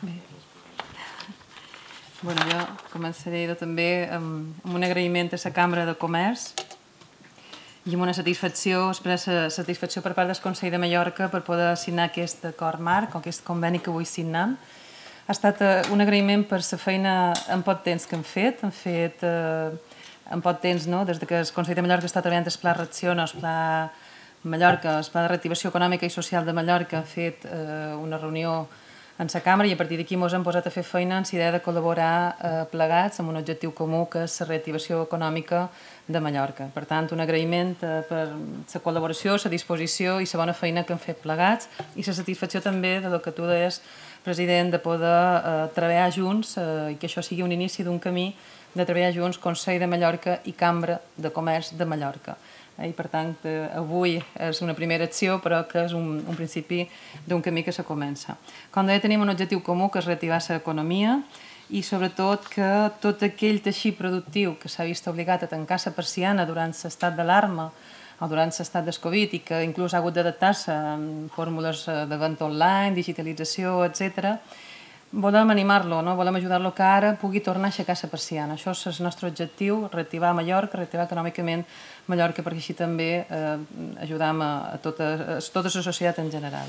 Bé. Jo començaré també amb un agraïment a la Cambra de Comerç i amb una satisfacció per part del Consell de Mallorca per poder signar aquest acord marc o aquest conveni que avui signem. Ha estat un agraïment per la feina en poc temps que hem fet. Hem fet en poc temps, des que el Consell de Mallorca està treballant el Pla Reacciona, el Pla Mallorca, el Pla de Reactivació Econòmica i Social de Mallorca, ha fet una reunió en la cambra i a partir d'aquí ens hem posat a fer feina en la idea de col·laborar plegats amb un objectiu comú que és la reactivació econòmica de Mallorca. Per tant, un agraïment per la col·laboració, la disposició i la bona feina que hem fet plegats i la satisfacció també del que tu deies, president, de poder treballar junts i que això sigui un inici d'un camí de treballar junts Consell de Mallorca i Cambra de Comerç de Mallorca. I per tant, avui és una primera acció, però que és un principi d'un camí que se comença. Com deia, tenim un objectiu comú, que és reactivar l'economia i sobretot que tot aquell teixit productiu que s'ha vist obligat a tancar la persiana durant l'estat d'alarma o durant l'estat del Covid i que inclús ha hagut d'adaptar-se en fórmules de venda online, digitalització, etc., volem animar-lo, volem ajudar-lo que ara pugui tornar a aixecar la persiana. Això és el nostre objectiu, reactivar Mallorca, reactivar econòmicament Mallorca, perquè així també ajudam a tota la societat en general.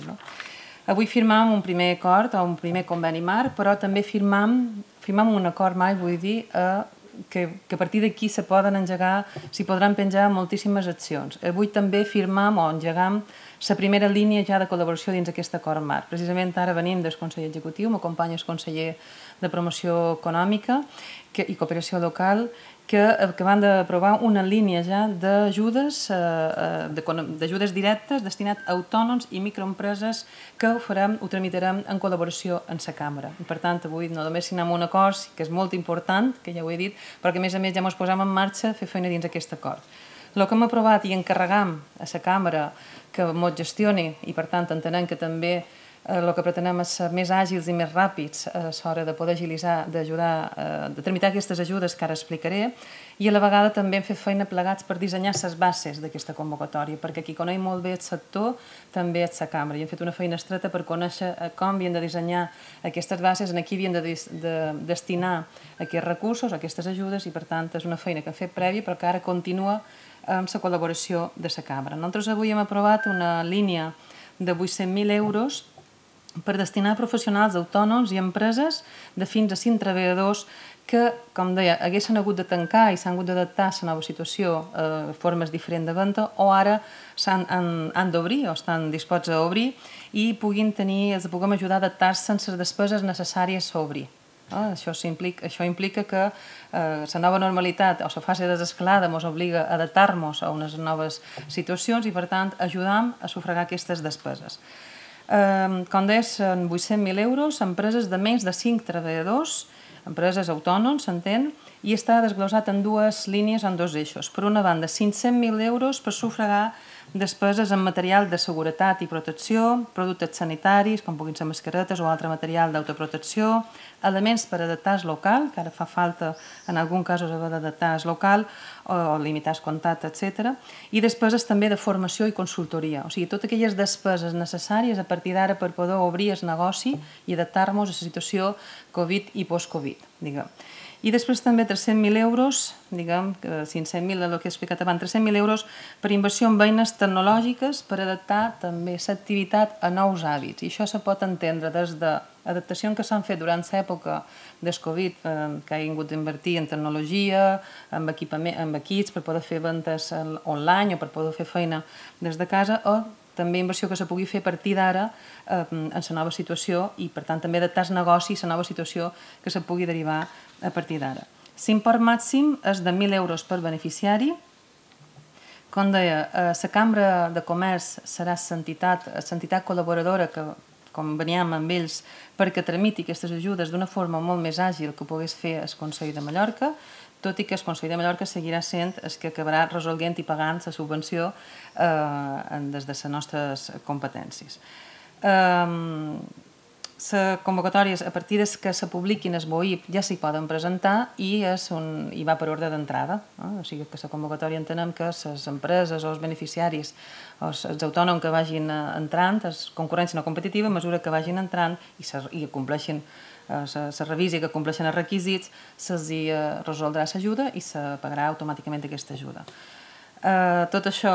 Avui firmam un primer acord o un primer conveni marc, però també firmam un acord marc, vull dir, que a partir d'aquí s'hi podran penjar moltíssimes accions. Avui també firmam o engegam la primera línia ja de col·laboració dins aquest acord marc. Precisament ara venim del Consell Executiu, m'acompanya el conseller de Promoció Econòmica i Cooperació Local, que van d'aprovar una línia ja d'ajudes directes destinat a autònoms i microempreses que ho tramitarem en col·laboració amb la Cambra. I per tant, avui no només signem un acord, que és molt important, que ja ho he dit, però que a més ja ens posem en marxa a fer feina dins aquest acord. El que hem aprovat i encarregam a la Cambra que ens gestioni, i per tant entenem que també el que pretenem és ser més àgils i més ràpids a l'hora de poder agilitzar, d'ajudar, de tramitar aquestes ajudes que ara explicaré, i a la vegada també hem fet feina plegats per dissenyar les bases d'aquesta convocatòria, perquè qui coneix molt bé el sector també és la Cambra, i hem fet una feina estreta per conèixer com havien de dissenyar aquestes bases, en qui havien de destinar aquests recursos, aquestes ajudes, i per tant és una feina que hem fet prèvia però que ara continua amb la col·laboració de la Cambra. Nosaltres avui hem aprovat una línia de 800.000 euros per destinar a professionals autònoms i empreses de fins a 5 treballadors que, com deia, haguessin hagut de tancar i s'han hagut d'adaptar a la nova situació, formes diferents de venda, o ara han d'obrir o estan disposats a obrir i puguem ajudar a adaptar-se en les despeses necessàries a obrir. Això implica que la nova normalitat o la fase de desescalada ens obliga a adaptar-nos a unes noves situacions i, per tant, ajudam a sufragar aquestes despeses. Com deia, són 800.000 euros, empreses de menys de 5 treballadors, empreses autònoms, s'entén, i està desglosat en dues línies, en dos eixos. Per una banda, 500.000 euros per sufragar despeses en material de seguretat i protecció, productes sanitaris, com puguin ser mascaretes o altre material d'autoprotecció, elements per adaptar el local, que ara fa falta en algun cas haver d'adaptar el local o limitar el contacte, etc. I despeses també de formació i consultoria, o sigui, totes aquelles despeses necessàries a partir d'ara per poder obrir el negoci i adaptar-nos a la situació Covid i post-Covid, diguem. I després també 300.000 euros, diguem, 500.000 del que he explicat abans, 300.000 euros per inversió en eines tecnològiques per adaptar també l'activitat a nous hàbits. I això se pot entendre des d'adaptacions que s'han fet durant l'època del Covid, que ha hagut d'invertir en tecnologia, en equips per poder fer ventes online o per poder fer feina des de casa, o també inversió que se pugui fer a partir d'ara en la nova situació i, per tant, també adaptar el negoci a la nova situació que se pugui derivar a partir d'ara. L'import màxim és de 1.000 euros per beneficiari. Com deia, la Cambra de Comerç serà l'entitat col·laboradora que conveníem amb ells perquè tramiti aquestes ajudes d'una forma molt més àgil que ho pogués fer el Consell de Mallorca, tot i que el Consell de Mallorca seguirà sent el que acabarà resolguent i pagant la subvenció des de les nostres competències. les convocatòries, a partir que se publiquin el BOIP, ja s'hi poden presentar i va per ordre d'entrada. O sigui que la convocatòria entenem que les empreses o els beneficiaris o els autònoms que vagin entrant, és concurrència no competitiva, a mesura que vagin entrant i compleixin se revisi que compleixen els requisits, se'ls resoldrà l'ajuda i se pagarà automàticament aquesta ajuda. Tot això,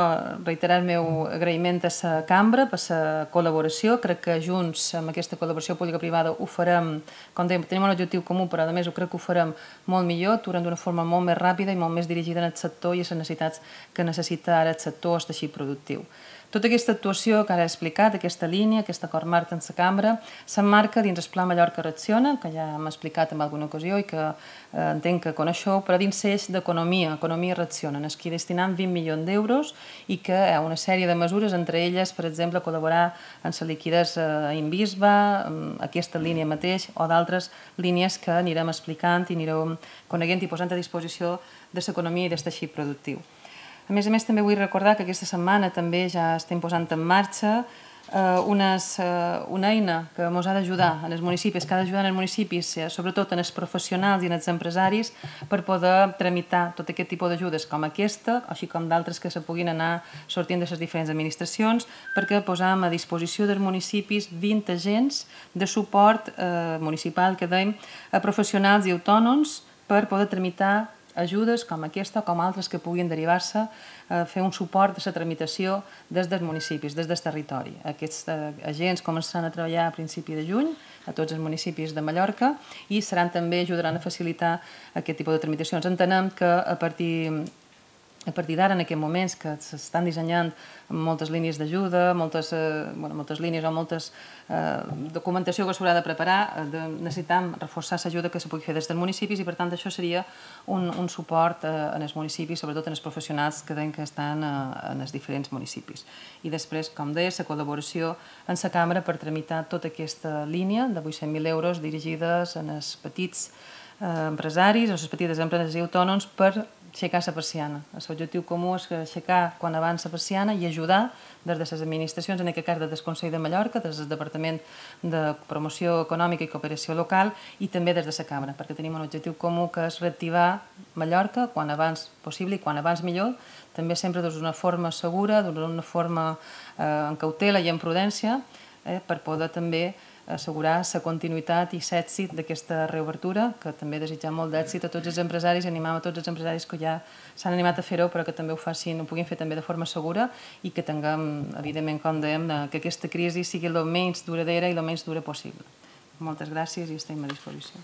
reiterar el meu agraïment a la cambra per la col·laboració. Crec que junts, amb aquesta col·laboració pública-privada, ho farem, com dèiem, tenim un objectiu comú, però a més crec que ho farem molt millor, actuarem d'una forma molt més ràpida i molt més dirigida en el sector i a les necessitats que necessita ara el sector o el teixit productiu. Tota aquesta actuació que ara he explicat, aquesta línia, aquest acord marc en la cambra, s'emmarca dins el Pla Mallorca Reacciona, que ja hem explicat en alguna ocasió i que entenc que coneixeu, però dins l'eix d'economia, Economia Reacciona, en què destinem 20 milions d'euros i que hi ha una sèrie de mesures, entre elles, per exemple, col·laborar en la liquiditat a Invisba, aquesta línia mateix, o d'altres línies que anirem explicant i anirem coneguent i posant a disposició de l'economia i del teixit productiu. A més, també vull recordar que aquesta setmana també ja estem posant en marxa una eina que ens ha d'ajudar en els municipis, que ha d'ajudar en els municipis, sobretot en els professionals i en els empresaris, per poder tramitar tot aquest tipus d'ajudes com aquesta, així com d'altres que se puguin anar sortint de les diferents administracions, perquè posam a disposició dels municipis 20 agents de suport municipal, que dèiem, a professionals i autònoms per poder tramitar ajudes com aquesta o com altres que puguin derivar-se a fer un suport de la tramitació des dels municipis, des del territori. Aquests agents començaran a treballar a principi de juny a tots els municipis de Mallorca i també ajudaran a facilitar aquest tipus de tramitacions. Entenem que a partir d'ara, en aquests moments que s'estan dissenyant moltes línies d'ajuda, moltes línies o moltes documentació que s'haurà de preparar, necessitem reforçar l'ajuda que se pugui fer des dels municipis i, per tant, això seria un suport en els municipis, sobretot en els professionals que estan en els diferents municipis. I després, com deia, la col·laboració en la cambra per tramitar tota aquesta línia de 800.000 euros dirigides als petits empresaris, a les petites empreses i autònoms per aixecar la persiana. L'objectiu comú és aixecar quan abans la persiana i ajudar des de les administracions, en aquest cas des del Consell de Mallorca, des del Departament de Promoció Econòmica i Cooperació Local i també des de la Cambra, perquè tenim un objectiu comú que és reactivar Mallorca quan abans possible i quan abans millor, també sempre d'una forma segura, d'una forma en cautela i en prudència, per poder també assegurar la continuïtat i l'èxit d'aquesta reobertura, que també desitjam molt d'èxit a tots els empresaris i animam a tots els empresaris que ja s'han animat a fer-ho, però que també ho puguin fer també de forma segura i que tinguem, evidentment, com dèiem, que aquesta crisi sigui el menys duradora i el menys dura possible. Moltes gràcies i estem a disposició.